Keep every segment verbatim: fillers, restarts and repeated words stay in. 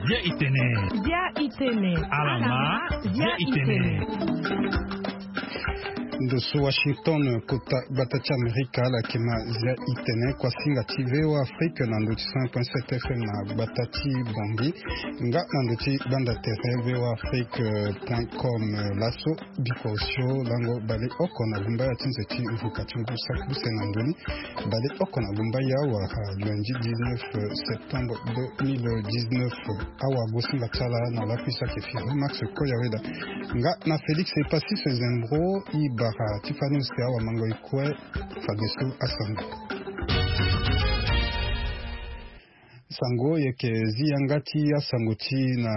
Zia itene. Zia itene. Alama. Zia itene. Ndo so Washington, kota gbata ti Amerika, ala yeke ma Zia itene, kuasinga ti V O A Afrique na ndo ti cent point sept F M na gbata ti Bangui, nga na ndo ti banda tere V O A Afrique point com. Laso biko osio lango baleoko na gumbaya ti nze ti vuka ti ngu saki use na ndoni baleoko na gumbaya wala lundi dix-neuf septembre deux mille dix-neuf. Awagosinga ti ala na lakui saki firi Max Koyaweda nga na Félix Epassis Zembro. E bara ti fani use awamango e kue fadeso asango. Sango yeke zi yanga ti asango ti na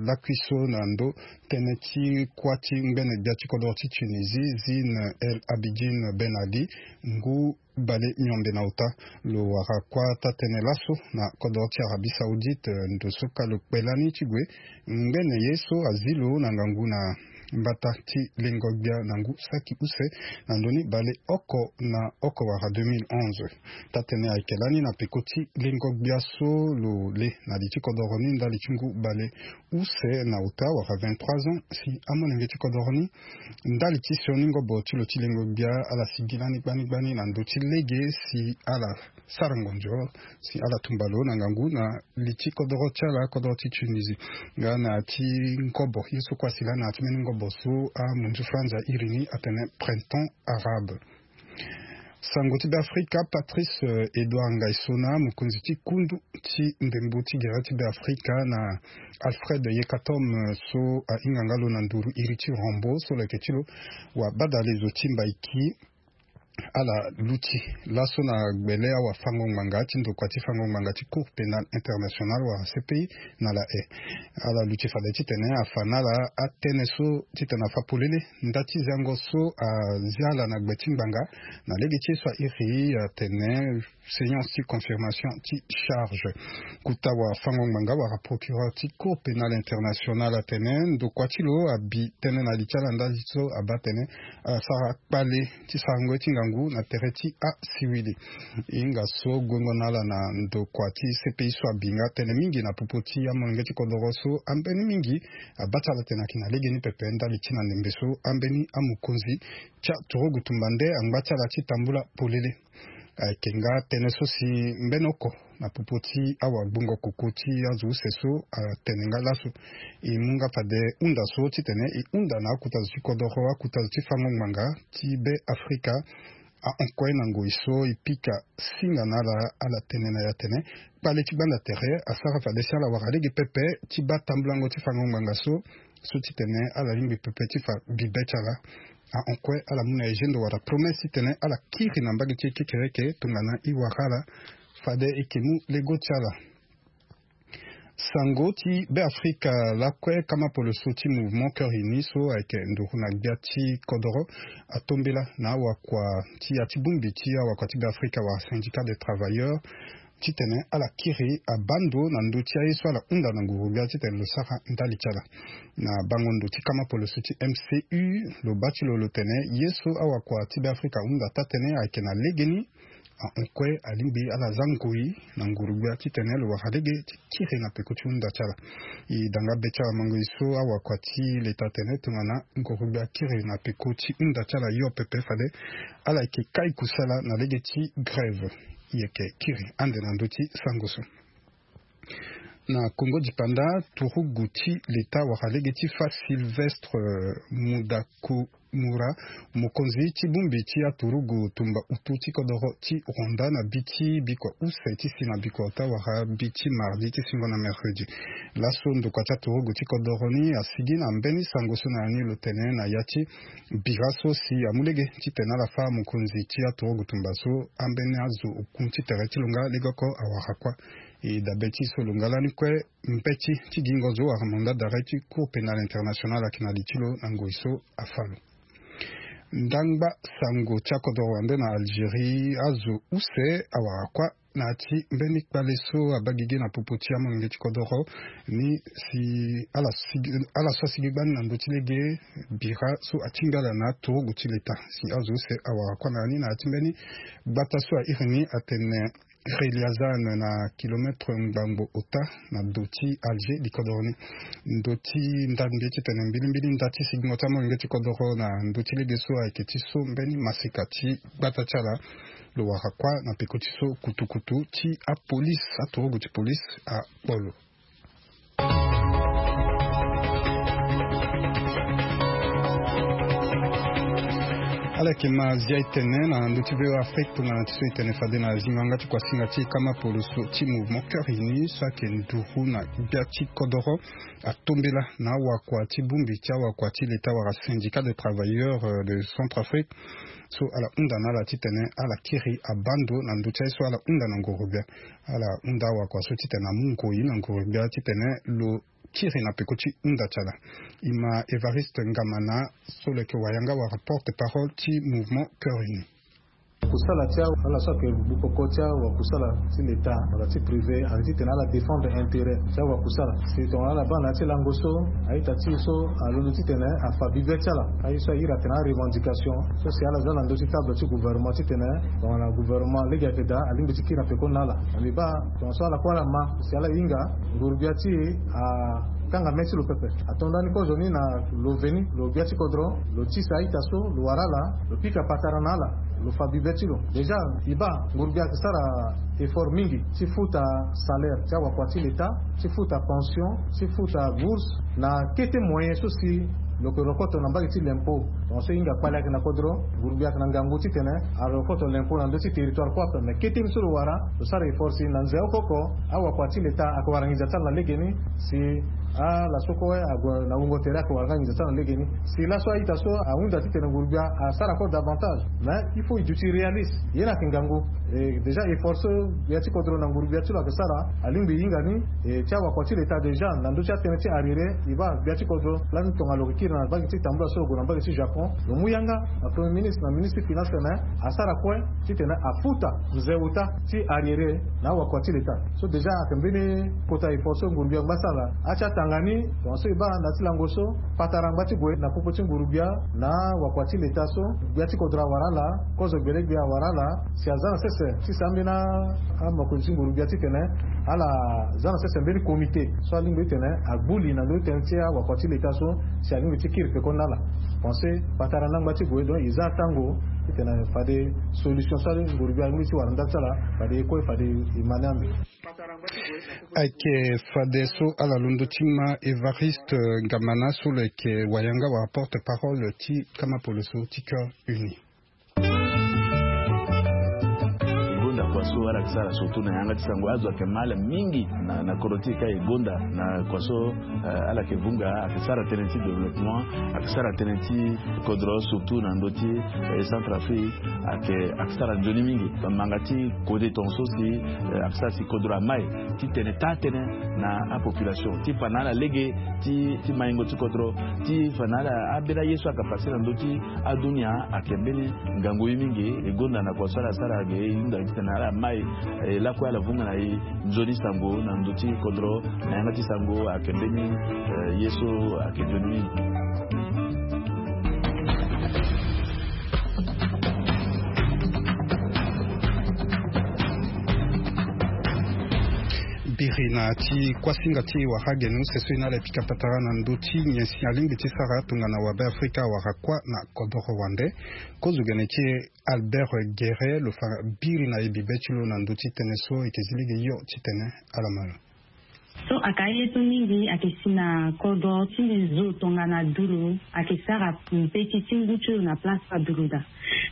lakui so na ndo tënë ti kuâ ti ngbene gbia ti kodoro ti Tunisie, Zine El Abidine Ben Ali, ngu bale miombe na ota. Lo wara kuâ taa-tënë laso na kodoro ti Arabie Saoudite, ndo so ka lo kpe lani ti gue ngbene ye so azi lo na ngangu na mbata ti lengo gbia na ngu saki use na ndoni baleoko na oko wala deux mille onze. Taa-tënë ayeke lani na peko ti lengo gbia so lo le na li ti kodoro ni ndali ti ngu bale use na ota wala vingt-trois ans si amolenge ti kodoro ni. Ndali ti sioni ngobo ti lo ti lengo gbia ala sigi lani gbani gbani na ndö ti lege si ala sara ngonzo si ala tumba lo na ngangu na li ti kodoro ti ala, kodoro ti Tunisie. Nga na ya ti ngobo ye so kue asi lani na ya ti mbeni ngobo so amunzu franza iri ni atene printemps arabe. Sango ti Beafrika, Patrice, euh, Edouard Ngaïsona, mokonzi ti kundu ti ndembo ti gere ti Beafrika, na Alfred Yekatom, euh, so ahinga nga lo na nduru iri ti Rambo, so lo yeke ti lo wabadalezo ti Mbaiki, ala luti laso na gbele awafango-ngbanga ti ndokua ti fango-ngbanga ti Cour Pénale Internationale wala C P I na La Haye. Ala luti fade titene afa na ala atënë so titene afa polele nda ti ziango so azia ala na gbe ti ngbanga na lege ti ye so airi atene séance ti confirmation ti charge. Kota wafango-ngbanga wala procureur ti Cour Pénale Internationale atene ndokua ti lo abi tënë na li ti ala ndali so abaa atene asara kpale ti sarango ye ti ngangu na tere ti asiwili. E hinga so guengo na ala na ndokua ti C P I so abi nga tënë mingi na popo ti amolenge ti kodoro so ambeni mingi abaa ti ala tene ayeke na legeni pepe ndali ti na ndembe so ambeni amokonzi ti aturugu tumba nde angba ti ala ti tambula polele. Ayeke nga tënë so si mbeni oko na popo ti awagbongo koko ti azo use so atene nga laso. E mu nga fade hunda so titene e hunda na akota zo ti kodoro, akota zo ti fango ngbanga ti Be Afrika, ahon kue na ngoi so e pika singa na ala, ala tene na e atene kpale ti gbanda tere asara fade si ala wara lege pepe ti baa tambulango ti fango ngbanga so, so titene ala lingbi pepe ti fa bibe ti ala. Ahon kue ala mu na e gendo wala promesse titene ala kiri na mbage ti e kekereke tongana e wara ala fade e yeke mu lego ti ala. Sango ti Be Afrika lakue, kama poloso ti Mouvement Cœur Uni so ayeke nduru na gbia ti kodoro atombela na awakua ti ya ti bongbi ti awakua ti Be Afrika wala Syndicat des Travailleurs titene ala kiri abaa ndo na ndö ti aye so ala hunda na nguru gbia titene lo sara ndali ti ala. Na bango ndo ti kama poloso ti M C U, lo baa ti lo lo tene ye so awakua ti Be Afrika ahunda taa-tënë ayeke na legeni. Ahon kue alingbi ala za ngoi na nguru gbia titene lo wara lege ti kiri na peko ti hunda ti ala. E da nga be ti ala mango e so awakua ti leta atene tongana nguru gbia akiri na peko ti hunda ti ala hio pepe fade ala yeke kai kusala na lege ti grève. E yeke kiri ande na ndö ti sango so. Na Kongo dipanda, turugu ti leta wala lege ti fa Sylvestre, euh, Mudakumura, mokonzi ti bongbi ti aturugu tumba utu ti kodoro ti Rwanda na bi ti bikua use ti si na bikua ota wala bi ti mardi ti singo na mercredi. Laso ndokua ti aturugu ti kodoro ni asigi na mbeni sango so na ya ni lo tene na ya ti bira so si amu lege titene ala fâ mokonzi ti aturugu tumba so ambeni azo oku ti tere ti lo nga lege oko awara kuâ. E dabe ti so lo nga lani kue mbeti ti gingo zo wala mandat d'arrêt ti Cour Pénale Internationale ayeke na li ti lo na ngoi so afâ lo. Ndangba sango ti akodoro wande na Algérie, azo use awara kuâ na ya ti mbeni kpale so abaa gigi na popo ti amolenge ti kodoro ni si ala sigi, ala so asigi gbani na ndö ti lege bira so atingbi ala na aturugu ti leta si azo use awara kuâ na ya ni na ya ti mbeni gbata so airi ni atene Ri liazan na kilometre ngbangbo ota na do ti Alger li kodoro ni. Ndo ti ndambi titene mbilimbili nda ti sigingo ti amolenge ti kodoro na ndo ti lege so ayeke ti so mbeni masika ti gbata ti ala. Lo wara kuâ na peko ti so kutukutu ti apolisi, aturugu ti polisi akpo lo. Ala yeke ma zia e tene na ndö ti V O A Afrique tongana ti so e tene fade na zingo yanga ti kuasinga ti kama poloso ti Mouvement Cœur Uni so ayeke nduru na gbia ti kodoro atombela na awakua ti bongbi ti awakua ti leta wala syndicat de travailleurs de Centrafrique. So ala hunda na ala titene ala kiri abando na ndö ti aye so ala hunda na nguru gbia. Ala hunda awakua so titene amu ngoi na nguru gbia titene lo kiri na peko ti hunda ti ala. E ma Evariste Ngamana so lo yeke wayanga wala porte parole ti Mouvement Cœur Uni. Kusala ti awa ala so ayeke bukoko ti awa kusala ti leta wala ti privé ayeke titene ala défendre intérêt ti awa kusala. Si tongana ala baa na ya ti lango so a-ita ti e so alondo titene afa bibe ti ala aye so a iri atene arevendication so si ala za na ndö ti table ti gouvernement titene tongana gouvernement lege ayeke daa alingbi ti kiri na pekoni na ala. Mbi baa tongana so ala kue ala ma si ala hinga nguru-gbia ti e akanga mê ti lo pepe. Ato ndani kozoni na lo veni lo gbia ti kodro lo tisa a-ita so lo wara ala lo pika patara na ala lo fa bibe ti lo. Déjà e baa nguru-gbia ayeke sara effort mingi ti futa salaire ti awakua ti leta ti futa pension ti futa bourse na kete moyen so si lo yeke rokoto na mbage ti l'impôt. Donc so e hinga kpale ayeke na kodro nguru-gbia ayeke na ngangu titene arokoto l'impôt na ndö ti territoire kue ape. Mais kete ni so lo wara lo sara effort si na nze oko oko awakua ti leta ayeke wara nginza ti ala na legeni si ala so kue ague na wungo tere ayeke wara nga nginza ti ala na legeni. Si laso a-ita so ahunda titene nguru-gbia asara kue davantage. Mais il faut e duti réaliste. Ye ni ayeke ngangu. Déjà effort so gbia ti kodro na nguru-gbia ti lo ayeke sara alingbi e hinga ni. E ti awakua ti leta déjà na ndö ti atënë ti arriéré e baa gbia ti kodro lani tongana lo yeke kiri na mbage ti tambula so lo gue na mbage ti Japon lo mu yanga na premier ministre na ministre ti finance tene asara kue titene afuta nze ota ti arriéré na awakua ti leta. So déjà ayeke mbeni kota effort so nguru-gbia angba ti ala. Ati atanga ni tongana so e baa na ya ti lango so patara angba ti gue na popo ti nguru-gbia na wakua ti leta so gbia ti kodro awara ala kozo gbele gbia awara ala si aza na sese ti si ambeni amokonzi ti nguru-gbia titene ala za na sese mbeni comité so alingbi titene agbu li na ndö ti tënë ti awakua ti leta so si alingbi ti kiri pekoni na ala. Pense patara ni angba ti gue donc e za atango titene fade solution so nguru-gbia alingbi ti wara ndali ti ala fade e kue fade e ma ni ande. Ayeke fade so ala londo ti ma Evariste Ngamana so lo yeke wayanga wala porte parole ti kama poloso ti Cœur Uni. E gonda kua so ala yeke sara surtout na yanga ti sango azo ayeke ma ala mingi na kodro ti e ka e gonda na kua so ala yeke vunga ayeke sara tënë ti développement ayeke sara tënë ti kodro surtout na ndö ti Centrafrique ayeke ayeke sara nzoni mingi. Manga ti kode tongaso si ayeke sara si kodro amai titene taa tënë na apopulation ti fa na ala lege ti maingo ti kodro ti fa na ala ambeni aye so ayeke pase na ndö ti adunia ayeke mbeni ngangu ye mingi. E gonda na kua so ala sara ge e hunda titene ala mai lakue ala vunga na e nzoni sango na ndö ti kodro na yanga ti sango ayeke mbeni ye so ayeke nzoni mingi. Biri na ti kuasinga ti wara geno sese na ala e pika patara na ndö ti nyen si alingbi ti sara tongana wabe afrika awara kuâ na kodoro wande. Kozo gene ti e Albert Guerre lo fa biri na e bibe ti lo na ndö ti tënë so e yeke zi lege hio titene ala ma lo. So ayeke aye so mingi ayeke si na kodro ti mbi zo tongana duru ayeke sara mbeti ti ngu ti lo na place so aduru daa.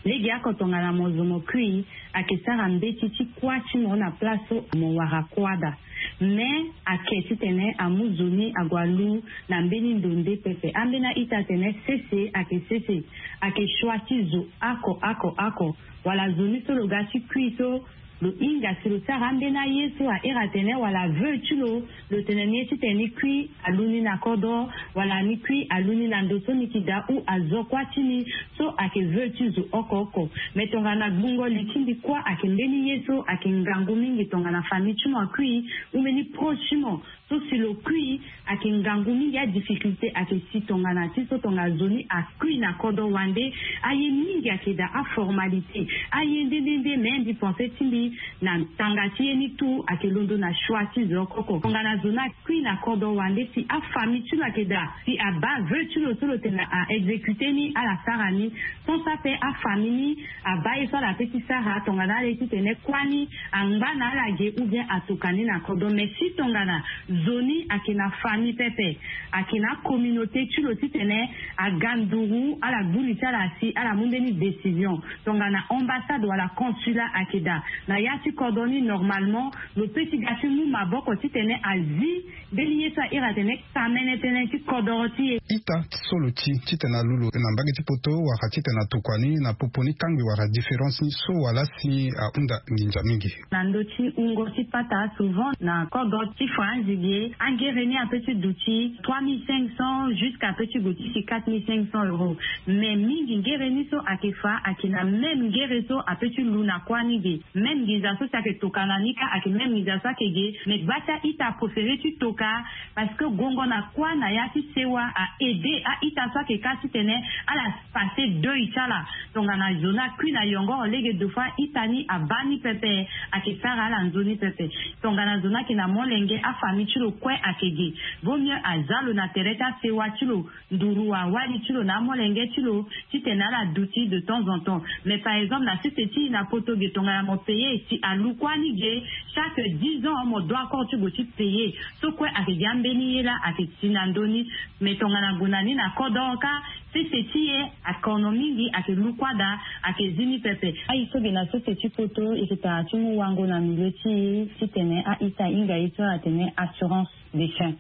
Lege oko tongana mo zo mo kui ayeke sara mbeti ti kuâ ti mo na place so mo wara kuâ daa. Mais ayeke titene amu zo ni ague alu na mbeni ndo nde pepe ambeni a-ita atene sese ayeke sese. Ayeke choix ti zo oko oko oko wala zo ni so lo ga ti kui so lo hinga si lo sara ambeni aye so a iri atene wala veu ti lo lo tene ni ye titene ni kui alu ni na kodro wala ni kui alu ni na ndo so ni yeke daa ou azo kuâ ti ni. So ayeke veu ti zo oko oko. Mais tongana gbungo li ti mbi kuâ ayeke mbeni ye so ayeke ngangu mingi tongana famille ti mo akui ou mbeni proche ti mo. So si lo kui ayeke ngangu mingi adifficulté ayeke si tongana ti so tongana zo ni akui na kodro wande. Aye mingi ayeke daa aformalité aye nde nde nde mais mbi pense ti mbi Na tanga ti ye ni tout ayeke londo na choix ti zo oko oko. Tongana zo ni akui na kodro wande si afamille ti lo ayeke daa, si abaa vœu ti lo so lo tene a exécuter ni ala sara ni. Sans ça pe afamille ni abaa ye so ala pe ti sara tongana ala ye titene kuâ ni angba na ala ge ou bien atoka ni na kodro. Mais si tongana zo ni ayeke na famille pepe, ayeke na acommunauté ti lo titene aga nduru ala gbu li ti ala si ala mu mbeni décision. Tongana ambassade wala consulat ayeke daa na ya ti kodro ni, normalement lo pe ti ga ti mu maboko titene azi mbeni ye so ahiri atene kamene tënë ti kodoro ti e. Ita so lo ti titene alu lo na mbage ti poto wala titene atokua ni na popo ni kangbi wala différence ni so wala si ahunda nginza mingi. Na ndö ti wungo ti pata, souvent na kodro ti faranzi ge, angere ni ape ti duti trois mille cinq cents jusqu'à ape ti gue ti si quatre mille cinq cents euros. Mais mingi ngere ni so ayeke fa ayeke na même ngere so ape ti lu na kuâ ni ge. Même nginza so si ayeke toka na ni kâ ayeke même nginza so ayeke ge. Mais gba ti a-ita apréféré ti toka, parce que gongo na kuâ na ya ti sewa a-aider a-ita so ayeke kâ titene ala passer deuil ti ala. Tongana zo ni akui na yongoro lege, deux fois ita ni abaa ni pepe, ayeke sara ala nzoni pepe. Tongana zo ni ayeke na molenge, afamille ti lo kue ayeke ge, vaut mieux aza lo na tere ti asewa ti lo, nduru awali ti lo na amolenge ti lo, titene ala duti de temps en temps. Mais par exemple na sese ti e na poto ge, tongana mo payer si alu kuâ ni ge, chaque dix ans mo doit encore ti gue ti payer. So kue ayeke gi ambeni ye laa ayeke si na ndö ni. Mais tongana gue na ni na kodoro kâ, sese ti e akono mingi, ayeke lu kuâ daa, ayeke zi ni pepe. Aye so ge na sese ti poto, e yeke tara ti mu wango na milieu ti e titene a-ita ahinga ye so ala tene assurance de fin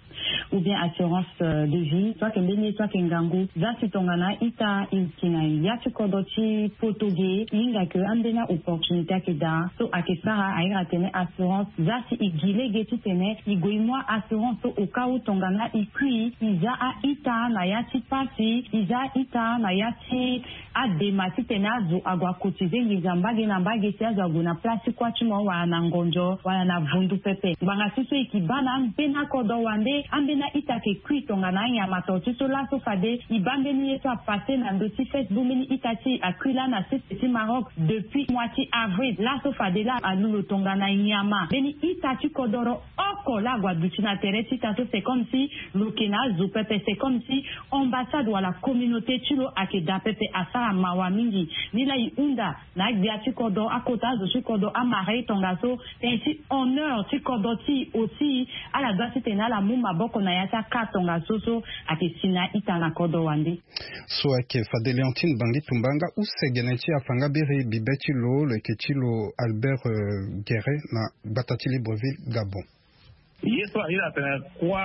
ou bien assurance, euh, de vie, so ayeke mbeni ye so ayeke ngangu. Za si tongana a-ita e yeke na ya ti kodro ti poto ge, e hinga ke ambeni a-opportunité ayeke daa. So ayeke sara ahiri atene assurance. Za si e gi lege titene e gue e mu a-assurance so au cas où tongana e kui, e za a-ita na ya ti pasi, e za a-ita na ya ti adema titene azo ague acotiser nginza mbage na mbage si azo ague na place ti kuâ ti mo wala na ngonzo wala na vundu pepe. Ngbanga ti so e yeke baa na ambeni akodro wande, ambeni a-ita ayeke kui tongana anyama to ti so. Laso fade e baa mbeni ye so apasser na ndö ti Facebook, mbeni ita ti e akui laa na sese ti Maroc depuis mois ti avril. Laso fade laa alu lo tongana nyama. Mbeni ita ti kodoro oko laa ague aduti na tere ti ita so, c'est comme si lo yeke na azo pepe, c'est comme si ambassade wala communauté ti lo ayeke daa pepe. Asara mawa mingi. Ni laa e hunda na agbia ti kodro, akota azo ti kodro amara e tongaso, tënë ti honneur ti kodro ti e aussi. Ala doit titene ala mu maboko na ya ti aka tongaso so ayeke si na a-ita na kodro wande. So ayeke fade Léontine Bangi Tumba. Nga use gene ti afa nga biri bibe ti lo, lo yeke ti lo Albert, euh, Guéret na gbata ti Libreville, Gabon. Ye so ahiri atene kuâ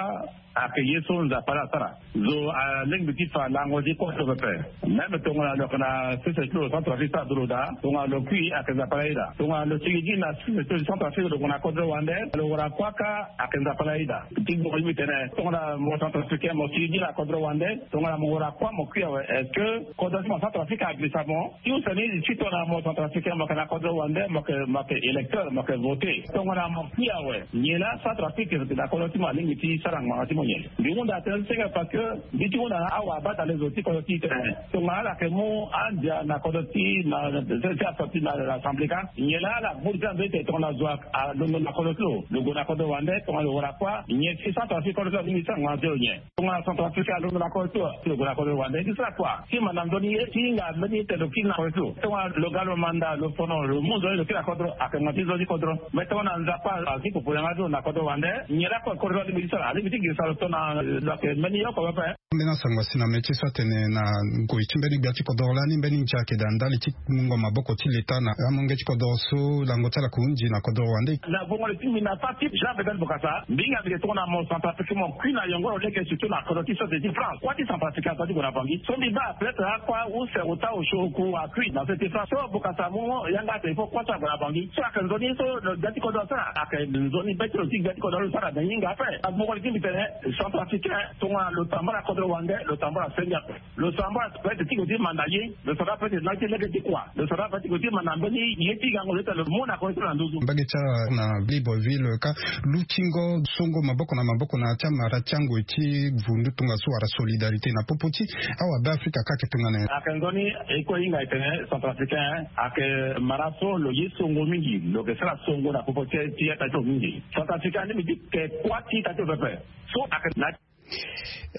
ayeke ye so Nzapa laa asara. Zo alingbi ti fa lango ti kuâ so pepe. Même tongana lo yeke na sese ti lo Centrafrique so ado lo daa, tongana lo kui ayeke Nzapa laa aye daa. Tongana lo sigi gi na sese ti lo Centrafrique lo gue na kodro wande, lo wara kuâ kâ ayeke Nzapa laa aye daa. Ti gbongo ti mbi tene tongana mo Centrafricain mo sigi gi na kodro wande, tongana mo wara kuâ mo kui awe, est-ce que kodro ti mo Centrafrique agrisa mo? Ti use ni ti tongana mo Centrafricain mo yeke na kodro wande, mo yeke, mo yeke électeur, mo yeke voté. Tongana mo kui awe, nyen laa Centrafrique na kodro ti mo alingbi ti sara ngbanga ti mo nyen? Mbi hunda tënë ti senge parce que mbi ti hunda na awabata le zo ti kodro ti e tene tongana ala yeke mu andia na kodro ti na ti asorti na l'Assemblée ka, nyen laa ala gbu li ti ambeni tene tongana zo alondo na kodro ti lo, lo gue na kodro wande, tongana lo wara kuâ, nyen ti Centrafrique kodro ti lo alingbi ti sara ngbanga ti lo nyen? Tongana Centrafrique alondo na kodro ti lo, lo gue na kodro wande, ti sara kua? Ti manda nzoni ye ti hinga mbeni ye tene lo kiri na kodro ti lo. Tongana lo ga lo manda, lo fono, lo mu nzoni lo kiri na kodro, ayeke ngangu ti nzoni kodro. Me tongana Nzapa azi popo yanga ti lo na kodro wande, nyen laa kodro ti lo alingbi ti sara? Alingbi ti girisa lo tongana lo yeke mbeni ye oko pepe. Ambeni asango asi na mê ti so atene na ngoi ti mbeni gbia ti kodoro lani mbeni ndia ayeke daa ndali ti mungo maboko ti leta na amolenge ti kodoro so lango ti ala ayeke hunzi na kodoro wande. Na vongo le ti mbi na fa ti Jean Bedel Bokassa, mbi hinga mbi ke tongana mo Centrafricain mo kui na yongoro lege surtout na kodro ti société ti France. Kuâ ti Centrafricain ato ti gue na Bangui. So mbi baa peut-être akua use ota osio oku akui na société ti France. So Bokassa amu yanga atene il faut kuâ so ague na Bangui. So ayeke nzoni so lo gbia ti kodro asara, ayeke nzoni be ti lo ti gbia ti kodro. Lo sara na hinga ape. Agboko li ti mbi tene centrafricain tongana lo tambala kodro wande, lo tambala senge ape. Lo sara mbala peut-être ti gue ti manda ye. Lo sara peut-être na ye ti lege ti kua. Lo sara peut-être ti gue ti manda mbeni ye ti gango lo ita lo mu na kue ti lo na nduzu. Mbage ti ala na Libreville ka lutingo songo maboko na maboko na ya ti amara ti angoi ti vundu tongaso wala solidarité na popo ti awabe afrika ka ayeke tongana nyen? Ayeke nzoni. E kue hinga e tene centrafricain ayeke mara so lo ye songo mingi, lo yeke sara songo na popo ti ti ya ta ti lo mingi. Centrafricain ni mbi ti ke kuâ ti ta ti lo pepe. So ayeke na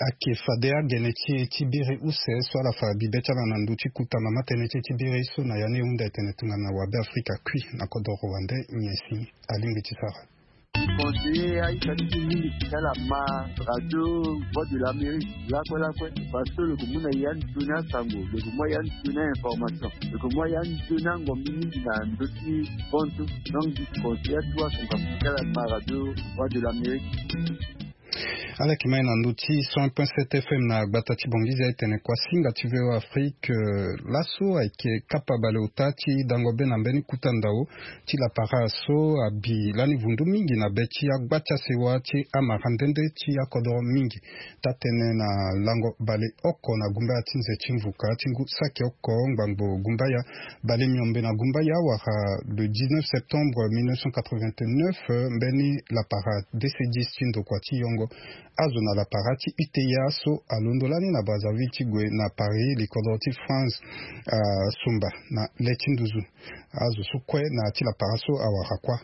Ayeke fade agene ti e ti biri use so ala fa bibe ti ala na ndö ti kota mama tënë ti e ti biri so na ya ni e hunda e tene tongana wabe afrika kui na kodro rwandais nyen si alingbi ti sara. Conseiller aita ti mingi ti ala ma radio voix de l'amérique lakue lakue. Parce que lo ke mu na ya ni toni asango, lo ke mu ya ni toni ainformation, lo ke mu ya ni toni angombi mingi na ndö ti bontu. Donc di conseiller atu asunga ti ala ma radio voix de l'amérique. Ala yeke mai na ndö ti cent point sept fm na gbata ti bongiza e tene kuasinga ti voa afrique. Laso ayeke kapa baleota ti dango be na mbeni kuta ndao ti lapara so abi lani vundu mingi na be ti agba ti asewa ti amara nde nde ti akodoro mingi. Taa-tënë na lango baleoko na gumbaya ti nze ti mvuka ti ngu saki oko ngbangbo gumbaya bale miombe na gumbaya wala le dix-neuf septembre mille neuf cent quatre-vingt-neuf, mbeni lapara dc dix ti ndokua ti yongo azo na lapara ti uta so alondo lani na Brazzaville ti gue na Paris likodro ti France asumba na le ti nduzu. Azo so kue na ya ti lapara so awara kuâ.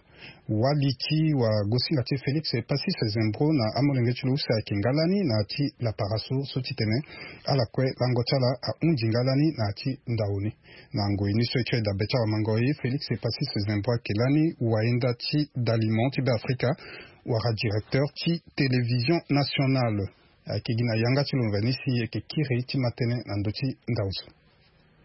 Wali ti wagosinga ti e Félix Passy Sezembro na amolenge ti lo use ayeke nga lani na ya ti lapara so so titene ala kue lango ti ala ahunzi nga lani na ya ti ndao ni. Na ngoi ni so e ti weda be ti awamango e Félix Passy Sezembro ayeke lani wayenda ti dalimo ti Beafrika wala directeur ti télévision nationale. Ayeke gi na yanga ti lo nzoni si e yeke kiri ti ma tënë na ndö ti ndao so.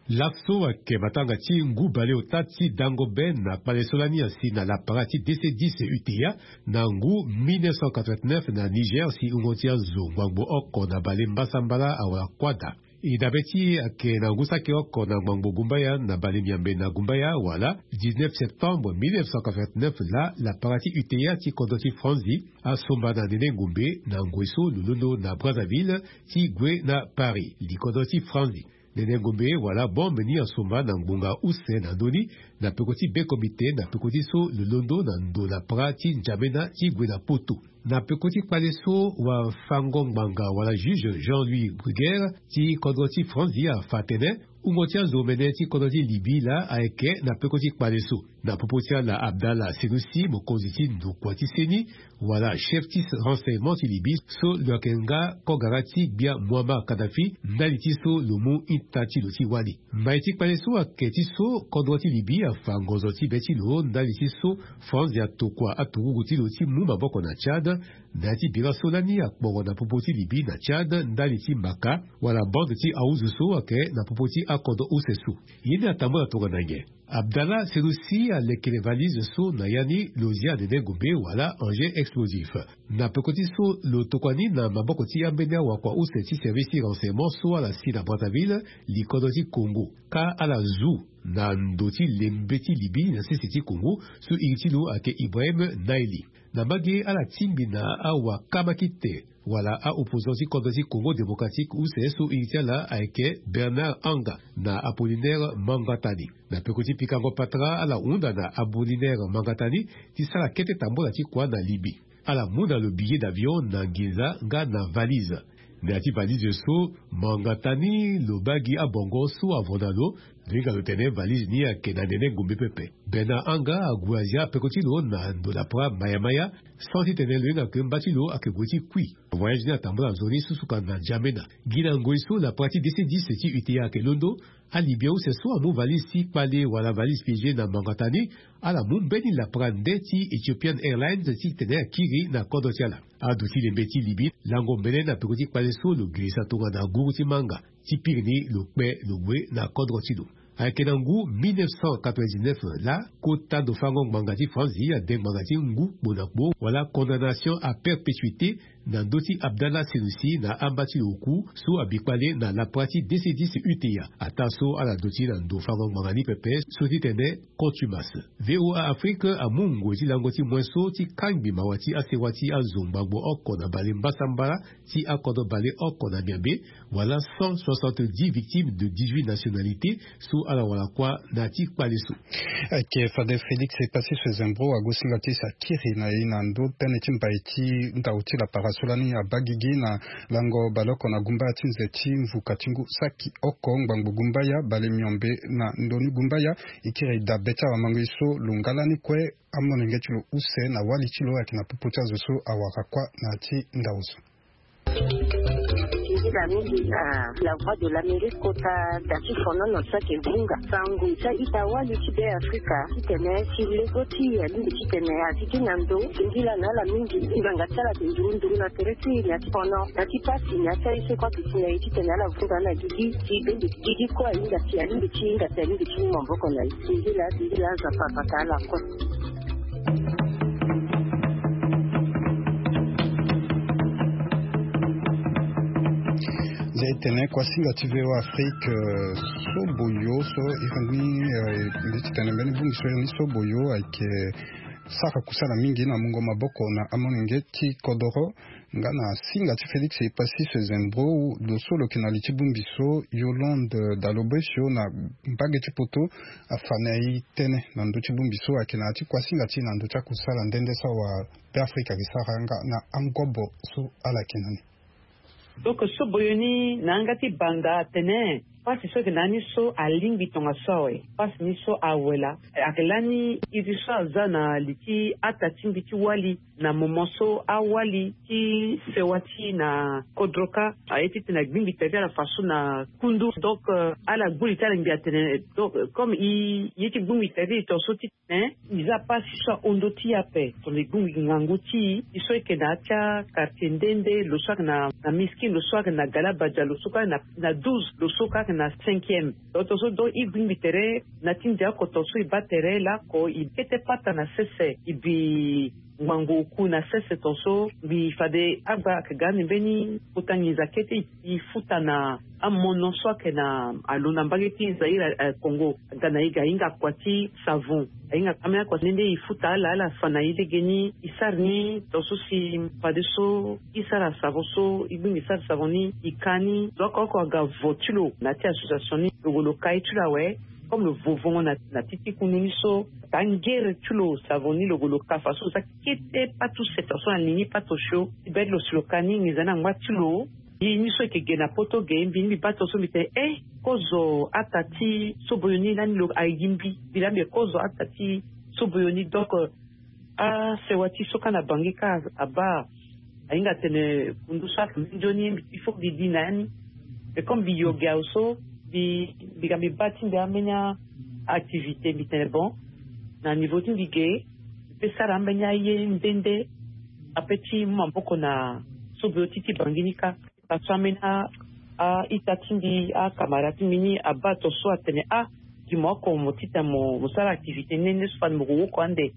Laso ayeke matanga ti ngu baleota ti dango be na kpale so lani asi na lapara ti dc dix uta na ngu mille neuf cent quatre-vingt-neuf na Niger si hungo ti azo ngbangbo oko na bale mbasambala awara kuâ daa. E dabe ti e ayeke na ngu saki oko na ngbangbo gumbaya na bale miambe na gumbaya wala dix-neuf septembre mille neuf cent quatre-vingt-neuf laa lapara ti uta ti kodro ti Franzi asomba na nene ngombe na ngoi so lo londo na Brazzaville ti gue na Paris likodro ti Franzi. Nene ngombe wala bombe ni asomba na ngbonga use na ndö ni na peko ti be komite na peko ti so lo londo na ndo na pra ti N'Djamena ti gue na Poto. Na peko ti kpale so wafango ngbanga wala juge Jean-Louis Bruguière ti kodro ti Franzi afa atene hungo ti azo mene ti kodro ti Libye laa ayeke na peko ti kpale so. Na popo ti ala Abdallah Senussi mokonzi ti ndokua ti seni wala chef ti renseignement ti Libye so lo yeke nga kogara ti gbia Muammar Kadhafi ndali ti so lo mu ita ti lo ti wali. Mai ti kpale so ayeke ti so kodro ti Libye afa ngonzo ti be ti lo ndali ti so France atokua aturugu ti lo ti mu maboko na Tchad. Na ya ti bira so lani akporo na popo ti Libye na Tchad ndali ti maka wala bande ti awuzu so ayeke na popo ti akodro use so. Ye ni atambula tongana nyen? Abdallah Senussi alekere valise so na ya ni lo zia nene ngombe wala engin explosif. Na peko ti so lo tokua ni na maboko ti ambeni awakua use ti service ti renseignement so ala si na Brazzaville, likodro ti Congo, ka ala zu na ndo ti lembe ti Libye na sese ti Congo so iri ti lo ayeke Ibrahim Naili. Na mbage ala tingbi na awakamakite wala a-opposant ti kodro ti Congo démocratique use so iri ti ala ayeke Bernard Anga na Apollinaire Mangatani. Na peko ti pikango patara ala hunda na Apollinaire Mangatani ti sara kete tambula ti kua na Libye. Ala mu na lo billet d'avion na nginza nga na valise. Na ya ti valise so Mangatani lo baa gi abongo so avo na lo. Lo hinga lo tene valise ni ayeke na nene ngombe pepe. Bernard Anga ague azia peko ti lo na ndo lapra maya maya. Sans titene lo hinga ke mba ti lo ayeke gue ti kui. Voyage ni atambula nzoni susuka na N'Djamena. Gi na ngoi so lapra ti dc dix ti uta ayeke londo, alibien use so amu valise ti kpale wala valise piégé na Mangatani, ala mu mbeni lapra nde ti Ethiopian Airlines titene akiri na kodro ti ala. Ado ti lembe ti Libye lango mbele na peko ti kpale so lo girisa tongana guru ti manga. Ti piri ni lo kpe lo gue na kodro ti lo. Ayeke na ngu mille neuf cent quatre-vingt-dix-neuf laa, kota ndo fango ngbanga ti Franzi ade ngbanga ti ngu kpo na kpo wala condamnation à perpétuité na ndö ti Abdallah Senussi na amba ti lo oku so abi kpale na lapara ti D C dix U T A. Ataa so ala duti na ndo fango ngbanga ni pepe so ti tene contumace. V O A Afrique amu ngoi ti lango ti moin so ti kangbi mawa ti asewa ti azo ngbangbo oko na bale mbasambala ti akodro bale oko na miabe, wala cent soixante-dix victimes de dix-huit nationalités so ala wara kuâ na ya ti kpale so. Ayeke fade Félix Epassi Sezembro ague singa ti sa kiri na e na ndö tënë ti mbai ti ndau ti lapara so lani abaa gigi na lango baleoko na gumbaya ti nze ti mvuka ti ngu saki oko ngbangbo gumbaya bale miombe na ndoni gumbaya. E kiri dabe ti awamango e so lo nga lani kue amolenge ti lo use na wali ti lo ayeke na popo ti azo so awara kuâ na ya ti ndau so. Nzila mingi na la voix de l'Amérique kota da ti fonono so ayeke vunga sango ti a-ita wali ti Be Afrika titene si lego ti e alingbi titene a gigi na ndo. Singila na ala mingi ngbanga ti ala ayeke nduru nduru na tere ti e na ti fono na ti pasi na ya ti aye so kue ayeke si na e titene ala vunga na gigi si bende gigi kue ahinga si alingbi ti hinga si alingbi ti mu maboko na e. Singila singila Nzapa abata ala kue. Nzia e tene kuasinga ti V O A Afrique, euh, so boyo so e fa ni, euh, mbi ti tene mbeni bongbi so e ni so boyo ayeke sara kusala mingi na mungo maboko na amolenge ti kodoro. Nga na singa ti Félix Epassi Sezembro, lo so lo yeke na li ti bongbi so Yolande Dalobesio na mbage ti poto afa na e tënë na ndö ti bongbi so ayeke na ya ti kuasinga ti e na ndö ti akusala nde nde so awa Be Afrika ayeke sara nga na angobo so ala yeke na ni. Donc so boyo ni na yanga ti banga atene pasi so ayeke na ya ni so alingbi tongaso awe. Pasi ni so awe laa ayeke lani iri so aza na li ti ata ti mbi ti wali na moment so awali ti sewa ti e na kodro kâ aye titene agbingbi tere ti ala faso na kundu. Donc, euh, ala gbu li ti ala ngbi atene donc, euh, comme e ye ti gbingbi tere ti e tongaso ti titene e za pasi so ahon ndö ti e ape. Tongana e gbingbi ngangu ti e so e yeke na ya ti akartier nde nde, lo so ayeke na, na Miskin, lo so ayeke na Galabadia, lo so kue ayeke na, na douze, lo so kue ayeke na cinquième. Donc tongaso donc e gbingbi tere na ti ndia oko tongaso e baa tere laoko e kete pata na sese e bi ngbangbo oku na sese tongaso mbi fade agba ayeke ga ande mbeni kota nginza kete e futa na amono so ayeke na alo na mbage ti Zaïre, eh, Congo. Aga na e ga ahinga kua ti savon, ahinga ambeni akua ti nde nde e futa ala ala fa na e legeni e sara ni tongaso si fadeso e sara savon so e gbingbi sara savon ni e ka ni. Zo oko oko aga vo ti lo na ya ti association ni lo gue lo ka ye ti lo awe. Comme lo vo vongo na, na ti ti kundu ni so ka ngere ti lo savon ni lo gue lo ka faso lo za kete patu seta so na li ni patu osio ti be ti lo si lo ka ni nginza ni angba ti lo. Mbi ni so e yeke ge na poto ge mbi ni mbi baa tongaso mbi tene e kozo ata ti soboyo ni lani lo aye gi mbi mbi laa mbi kozo ata ti soboyo ni. Donc, euh, asewa ti so kâ na Bangui kâ abaa ahinga atene kundu so ayeke minzoni mbi il faut mbi di na ya ni. Mais comme mbi yo ge awe so mbi mbi ga mbi baa ti mbi ambeni activité mbi tene bon na niveau ti mbi ge mbi pe sara ambeni aye nde nde ape ti mu maboko na soboyo ti ti Bangui ni kâ. Parce que ambeni a, a-ita ti mbi akamara ti mbi ni abaa tongaso atene ah gi mo oko mo titene mo, mo sara activité nde nde so fade mo ko woko ande.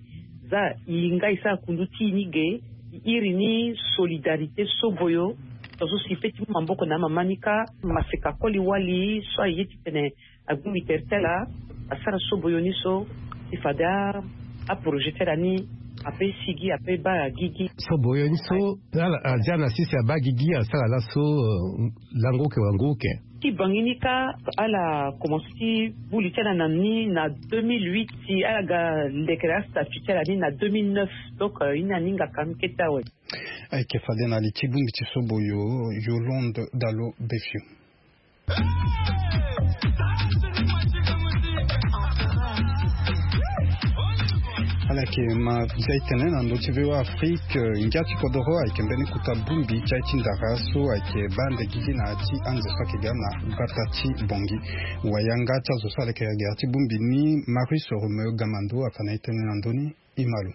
Za e nga e sara kundu ti e ni ge e iri ni solidarité soboyo. Tongaso si e pe ti mu maboko na amama ni kâ maseka koli wali so aye titene agbingbi tere ti ala asara soboyo ni so si fade a, aprojet ti ala ni ape sigi ape baa gigi. Soboyo ni so ala azia na sese abaa gigi asara laso, euh, lango oke wango oke. Ti Bangui ni kâ ala komanse ti bu li ti ala na ni na deux mille huit si ala ga lekere astatut ti ala ni na deux mille neuf. Donc, euh, e ni aninga ka mbi kete awe. Ayeke fade na li ti bongbi ti soboyo Yolande Dalo Befio. Ala yeke ma zia e tene na ndö ti V O A Afrique, eh, ngia ti kodoro ayeke mbeni kota bongbi ti aye ti ndara so ayeke baa ande gigi na ya ti anze so ayeke ga na gbata ti Bangui. Wayanga ti azo so ala yeke gere ti bongbi ni Marius Romeo Gamando afa na e tënë na ndö ni. E ma lo.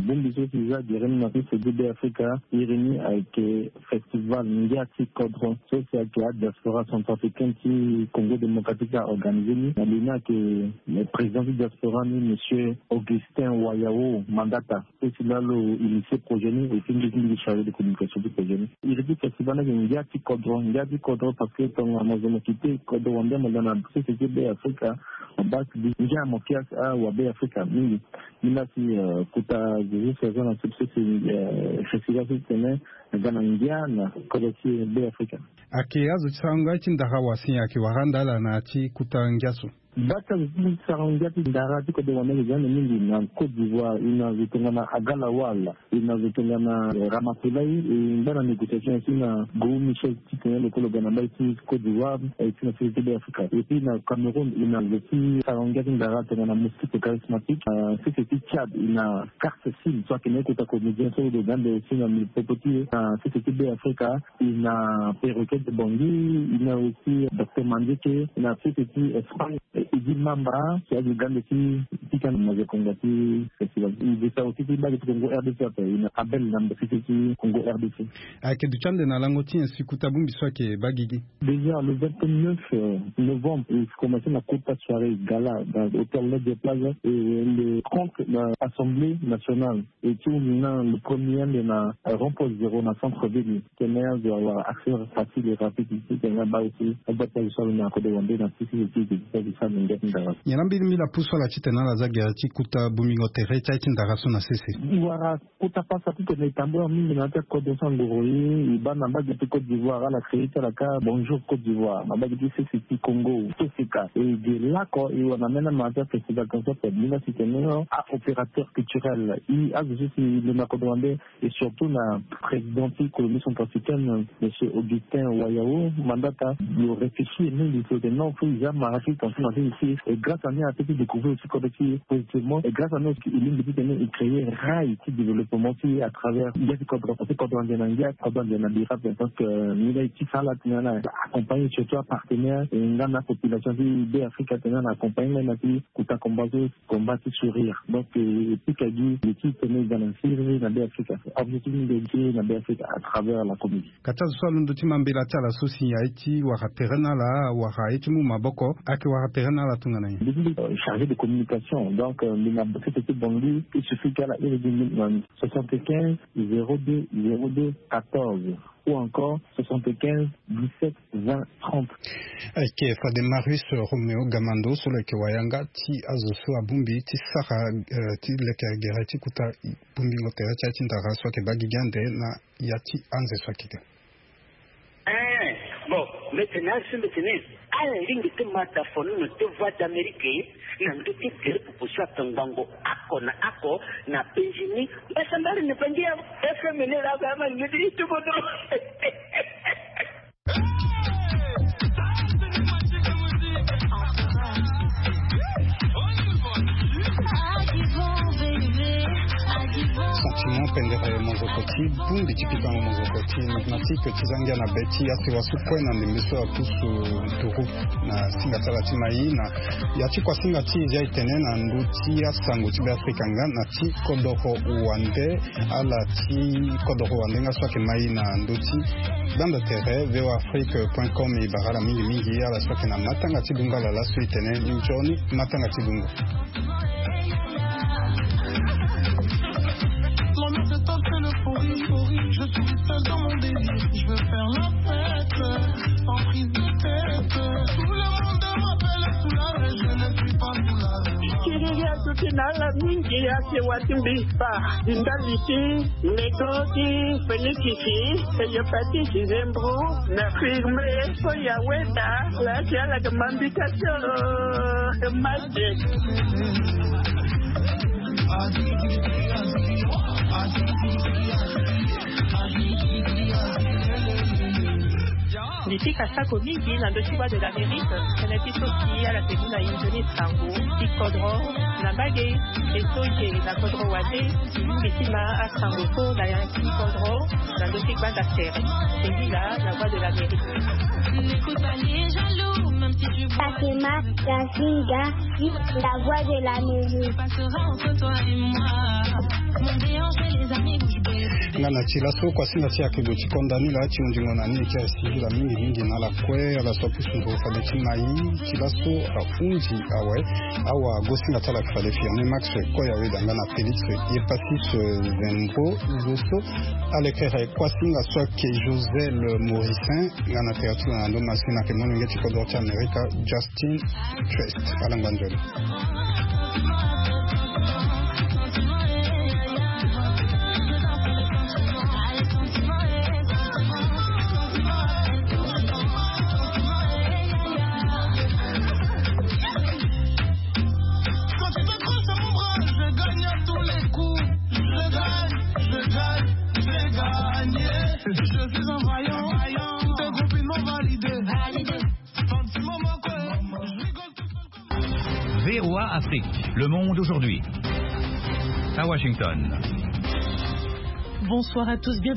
Bongbi so si za gere ni na so si gi Be Afrika iri ni ayeke festival ngia ti kodro so si ayeke adiaspora centrafricaine ti Congo Démocratique aorganize ni na li ni ayeke président ti diaspora ni, monsieur Augustin Wayao Mandata. Esi lalo initier projet ni et puis mbi ti mbi ti chargé de communication ti projet ni. Iri ti festival ni ayeke ngia ti kodro, ngia ti kodro parce que tongana mo zo mo kite kodro wande mo da na société Be Afrika, mo baa si ngia mo kias awa Be Afrika mingi. Ni la si kota Jésus saison na sopse si festival so ti tene aga na ngia na kodro ti Be Afrika. Ayeke azo ti sarango ya ti ndara wa si ayeke wara anda ala na ya ti kota ngia so. Bata zo ti sarango ngia ti ndara ti kodro wande ayeke za ande mingi na Côte d'Ivoire, e na zo tongana Agalawal, e na zo tongana Ramatoulaye, e ngbâ na négociation aussi na Gou Michel ti tene lo kue lo ga na mbai ti Côte d'Ivoire, e ti na société Be Afrika. Et puis na Cameroun e na zo ti sarango ngia ti ndara tongana Moustique Charismatique, na société ti Tchad e na Carte Sim so ayeke na ye kota comédien so lo ga ande aussi na popo ti e na société Be Afrika. E na Perroquet de Bangui, e na aussi Docteur Mandieke, e na société ti Espagne, e, Eddy Mamba, si azo ga ande ti pika na maza kongo ti festival. E zo ti aussi ti mbage ti Congo R D C ape, e na Abel Namba, société ti Congo R D C. Ayeke duti ande na lango ti nyen si kota bongbi so ayeke baa gigi? Déjà le vingt-neuf novembre e commencé na kota soirée gala na hôtel Lodge Plaza, et le trente na Assemblée nationale. E ti hunzi na le premier ande na rond-point zéro na centre ville. Tene azo awara accès facile et rapide ti tene abaa aussi abaa ti azo so alo na kodro wande na ti ti ti ti ti sara ngia ti ndara. Nyen la mbeni mbi la pusu ala ti tene ala za gere ti kota bongbingo tere ti aye ti ndara so na sese? E wara kota pasa ti tene e tambula mingi na ya ti akodro so angoro e, e baa na mbage ti Côte d'Ivoire ala créé ti ala kâ Bonjour Côte d'Ivoire na mbage ti sese ti Congo, Toseka. E ge lako e wara na mena ma ya ti afestival concert mbi la si tene a-opérateur culturel e azo so si e lo na kodro wande. Et surtout na président ti Colombie centrafricaine, monsieur Augustin Wayao Mandata, lo réfléchir mingi so tene non, faut e za mara ti tension na sese ti e, grâce à ni ape ti découvrir aussi kodro ti e positivement, et grâce à ni aussi e lingbi ti tene e créer rail ti développement ti e à travers ngia ti kodro, parce que kodro ande na ngia, kodro ande na bira. Donc ni la e ti sara ala tene ala accompagner surtout apartenaire e nga na apopulation ti Be Afrika tene ala accompagner nga na ti kota combat so combat ti sourire. Donc e pika gi e ti tene e ga na siriri na Be Afrika. Objectif ni nde siriri na Be Afrika à travers la comédie. Ka ti azo so alondo ti ma mbela ti ala so si aye ti wara tere na ala, wara aye ti mu maboko, ayeke wara tere na ala tongana nyen? Mbi ti chargé de communication, donc mbi na société ti Bangui, il suffit ti ala iri gi mbi na soixante-quinze zéro deux zéro deux quatorze ou encore soixante-quinze dix-sept vingt trente. Ayeke fade Marius Roméo Gamando so lo yeke wayanga ti azo so abongbi ti sara ti leke gere ti kota bongbingo tere ti aye ti ndara so ayeke baa gigi ande na ya ti anze so ayeke ga. Ee, bon, mbi tene asi mbi tene ala lingbi ti ma dafono na te Voix d'Amérique na ndö ti gere popo so atongbango oko na oko na penzi ni. Mbasambara ni bangi ya F M ni laa ba ama ni ti tubono. Sentiment pendere mozoko ti bongbi ti pikango mozoko ti mathématique ti za ngia na be ti asiwa so kue na ndembe so apusu nturu na singa ti ala ti mai na ya ti kuasinga ti e zia e tene na ndö ti asango ti Be Afrika nga na ti kodoro wande. Ala ti kodoro wande nga so ayeke mai na ndö ti gbanda tere V O A Afrique point com e bara ala mingi mingi ala so ayeke na matanga ti dungo ala laso e tene nzoni matanga ti dungo. L'ambiance est telle que l'euphorie, je suis seul dans mon délire, je veux faire la fête, sans prise de tête. Tout le monde m'appelle Soulard, je ne suis pas Soulard. Kiriri atuti na ala mingi asiwa ti mbi. Ba ndali ti nego ti fenikisi, hépatite, zembro, na firme so ya weda la ti ala ke mambika ti masque. Mbi pika sako mingi na ndö ti Voix de l'Amérique, tënë ti so si ala ke mu na e nzoni sango ti kodro na mbage, e so e yeke na kodro wande, e yeke ti ma asango so na ya ti kodro na ndö ti Banda Tere, c'est lui là, la voix de l'Amérique. N'écoute pas les jaloux, même si tu vois. Fatima Kazinga, la voix de l'Amérique. Passera entre toi et moi. Mon béance et les amis bouche bée. Nga na ti laso kuasinga ti ayeke gue ti konda ni laa ti hunzingo na ni ti asigi la mingi mingi na ala kue ala so apusu ndo fade ti mai. Ti laso ahunzi awe. Awa gosinga ti ala ayeke fade firme Max Koyaweda nga na Félix Epasis Zembro. Zo so alekere kuasinga so ayeke Josel Mauricin. Nga na tere ti lo na ndo masina ayeke molenge ti kodro ti Amerika Justin Trest. Ala ngba nzoni. Quand tu t'accroches à mon bras, je gagne à tous les coups. Je gagne, je gagne, je gagne. Je suis un vaillant, tes copines m'ont validé. Validé. Sentiment, mon cœur, je rigole tout seul comme V O A Afrique, le monde aujourd'hui. À Washington. Bonsoir à tous, bienvenue.